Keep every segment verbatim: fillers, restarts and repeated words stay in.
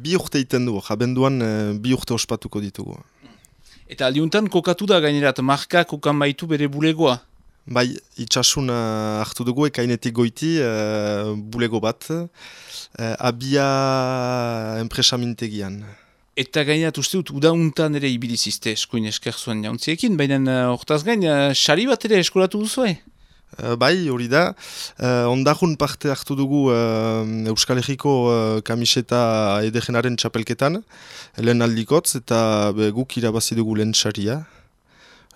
bi urte iten du, abenduan uh, bi urte ospatuko ditugu. Eta aldiuntan kokatu da gainerat, marka kokan baitu bere bulegoa? Bai, itxasun uh, hartu dugu ekainetik goiti uh, bulego bat, uh, abia enpresamintegian. Eta gainerat uste dut, udauntan ere ibilizizte eskuin esker zuen jauntziekin, baina hortaz uh, gain, uh, sari bat ere eskolatu duzue? Uh, bai, hori da. Uh, ondajun parte hartu dugu uh, Euskal Herriko uh, kamiseta edegenaren txapelketan, lehen aldikotz, eta be, guk irabazi dugu lehen saria.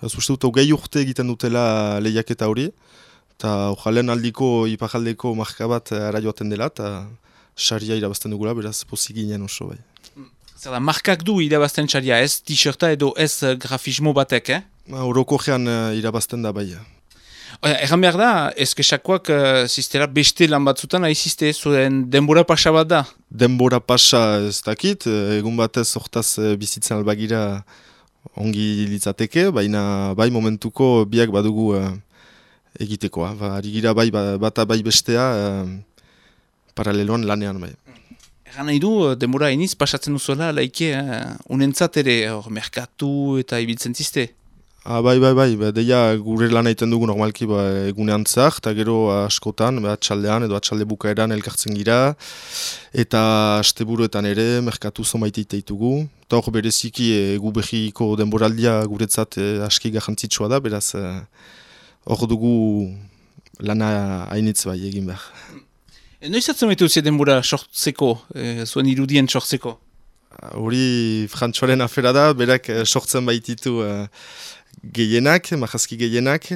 Ez uste dut, hogei urte egiten dutela lehiaketa hori, eta lehen aldiko ipajaldeko marka bat ara joaten dela, eta saria irabazten dugula, beraz pozik ginen oso bai. Zer da, markak du irabazten saria, ez t-shirta edo ez grafismo batek, eh? Horoko jean uh, irabazten da bai. Egan behar da, ezkesakoak uh, ziztera beste lan batzutan aizizte, zuen denbora pasa bat da? Denbora pasa ez dakit, egun batez hortaz bizitzen albagira ongi litzateke, baina bai momentuko biak badugu uh, egitekoa. Ba, arigira bai bata bai bestea uh, paraleloan lanean bai. Egan nahi du, denbora eniz pasatzen duzuela, laike, uh, unentzat ere, hor, merkatu eta ibiltzen zizte? Ah, bai, bai, bai, ba, deia gure lan egiten dugu normalki ba, egunean zah, eta gero askotan, ba, atxaldean edo atxalde bukaeran elkartzen gira, eta asteburuetan ere, merkatu zonbait eiteitugu. Eta hor bereziki egu behiko denboraldia guretzat e, aski garrantzitsua da, beraz hor e, dugu lana hainitz bai egin behar. E, noizatzen baitu ze denbora sortzeko, e, zuen irudien sortzeko? Hori frantxoaren afera da, berak sortzen baititu e, gehienak, majazki gehienak,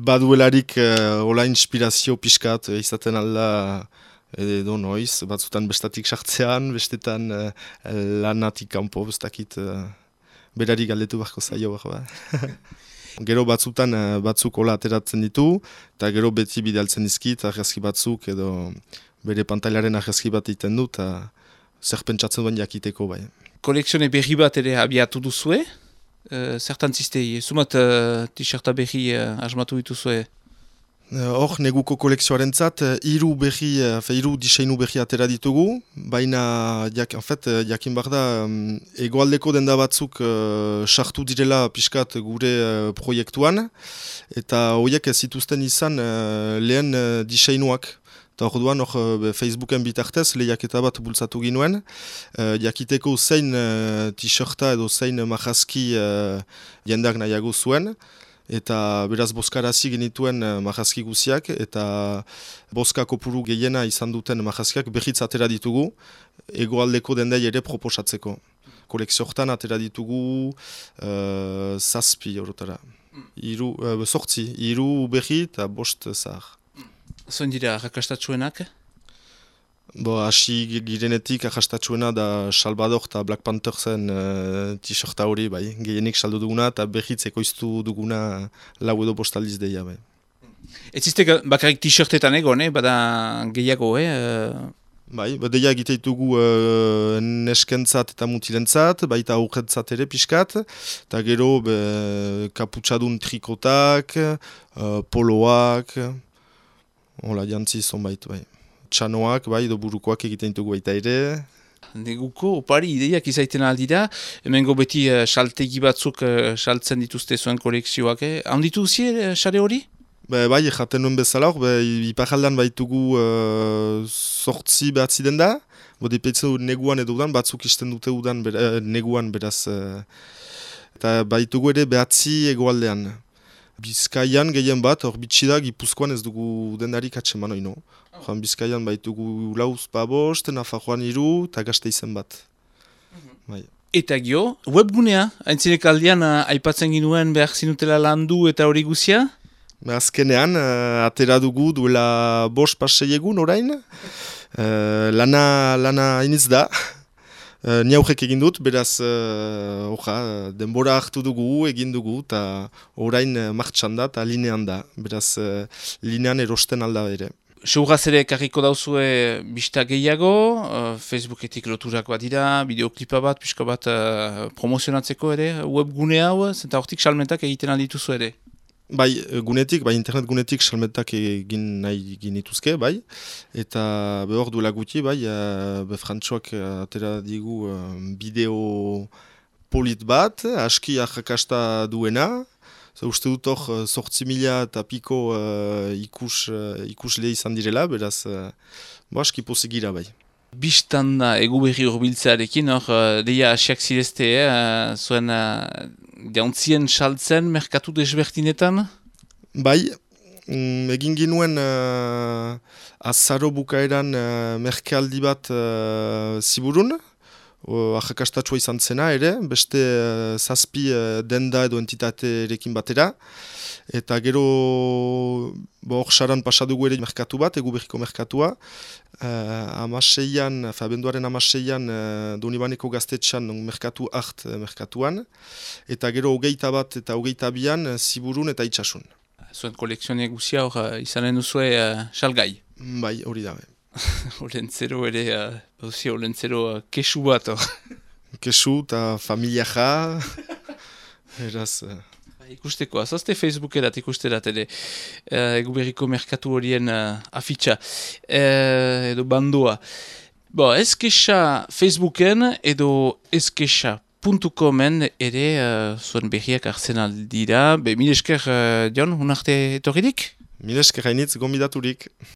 baduelarik uh, ola inspirazio pixkat uh, izaten alda edo noiz, batzutan bestatik sartzean, bestetan uh, lanatik kanpo, bestakit uh, berari galdetu barko zaio ba. Gero batzutan uh, batzuk ola ateratzen ditu, eta gero beti bidaltzen dizkit, argazki batzuk edo bere pantailaren argazki bat egiten du, eta zer pentsatzen duen jakiteko bai. Kolekzione berri bat ere abiatu duzue? Uh, zertan ziztei, zumat uh, t-shirta berri uh, asmatu dituzue? Hor, uh, neguko kolekzioaren zat, hiru berri, uh, hiru diseinu berri atera ditugu, baina jak, en fait, jakin behar da, um, egoaldeko denda batzuk uh, sartu direla pixkat gure uh, proiektuan, eta horiek ez zituzten izan uh, lehen uh, diseinuak. Eta hor duan, hor Facebooken bitartez, lehiaketa bat bultzatu ginuen, uh, jakiteko zein uh, t-shirta edo zein majazki uh, jendak nahiago zuen, eta beraz boskarazi genituen uh, majazki guziak, eta boska kopuru gehiena izan duten majazkiak berriz atera ditugu, egoaldeko dendai ere proposatzeko. Kolekzio hortan atera ditugu uh, zazpi horretara. Iru, uh, sortzi, iru berri eta bost zahar. Zoin dira arrakastatxuenak? Bo, hasi girenetik arrakastatxuena da Salvador eta Black Panthersen uh, t-shirta hori, bai, gehienik saldu duguna eta berriz ekoiztu duguna lau edo postaldiz deia, bai. Ez zizte bakarrik t-shirtetan egon, eh? Bada gehiago, eh? Bai, deia egiteitugu uh, neskentzat eta mutilentzat, baita aurretzat ere pixkat, eta gero be, kaputxadun trikotak, uh, poloak, hola, jantzi zonbait, bai. Txanoak, bai, edo burukoak egiten dugu baita ere. Neguko, opari, ideiak izaiten aldira, hemengo beti uh, saltegi batzuk uh, saltzen dituzte zuen kolekzioak, eh? Handitu zie, sare hori? Be, bai, jaten nuen bezala hor, iparaldan baitugu uh, sortzi behatzi den da, bode petzu neguan edo udan, batzuk isten dute udan bera, neguan beraz, uh, eta baitugu ere behatzi egoaldean. Bizkaian gehien bat, hor bitxida Gipuzkoan ez dugu dendarik atseman oino. Oh. Bizkaian baitugu lauz babost, Nafarroan iru, eta Gasteizen bat. Mm-hmm. Bai. Eta gio, webgunea, haintzinek aldean uh, aipatzen ginuen behar zinutela landu eta hori guzia? Azkenean, uh, atera dugu duela bost pasei egun orain. Uh, lana, lana iniz da. Uh, Ni aurrek egin dut, beraz, uh, oja, denbora hartu dugu, egin dugu, eta orain uh, martxan da, eta linean da. Beraz, uh, linean erosten alda ere. Seuraz ere karriko dauzue bista gehiago, uh, Facebooketik loturak bat dira, bideoklipa bat, pixka bat uh, promozionatzeko ere, webgune hau, zenta hortik salmentak egiten aldituzu ere? Bai, gunetik, bai, internet gunetik salmetak egin nahi ginituzke, bai, eta behor duela guti, bai, uh, be Frantxoak atera digu uh, bideo polit bat, aski ahakasta duena, so, uste dut hor sortzi mila eta piko uh, ikus, uh, ikusle izan direla, beraz, uh, bo aski posegira, bai. Bistan da egu berri horbiltzearekin, hor, uh, deia asiak zirezte, eh, zuen uh, jauntzien saltzen merkatu desbertinetan? Bai, mm, egin ginuen uh, azaro bukaeran uh, merkealdi bat uh, ziburun, uh, ahakastatua izan zena ere, beste uh, zazpi uh, denda edo entitaterekin batera, eta gero hor saran pasadugu ere merkatu bat, egu berriko merkatua, uh, amaseian, abenduaren amaseian uh, Donibaneko gaztetxan merkatu hart uh, merkatuan, eta gero hogeita bat eta hogeita bian uh, ziburun eta itxasun. Zuen kolekzionek guzia hor uh, izanen duzue uh, salgai. Bai, hori da. Olentzero ere, uh, olentzero uh, kesu bat hor. Kesu eta familia ja, eraz... Uh... Ikusteko, azazte Facebookerat ikusterat ere, uh, egu berriko merkatu horien uh, afitxa, uh, edo bandoa. Bo, ezkesa Facebooken edo ezkesa puntu comen ere uh, zuen berriak hartzen aldira. Be, mil esker, uh, Jon, unarte etorririk? Mil esker hainitz gombidaturik.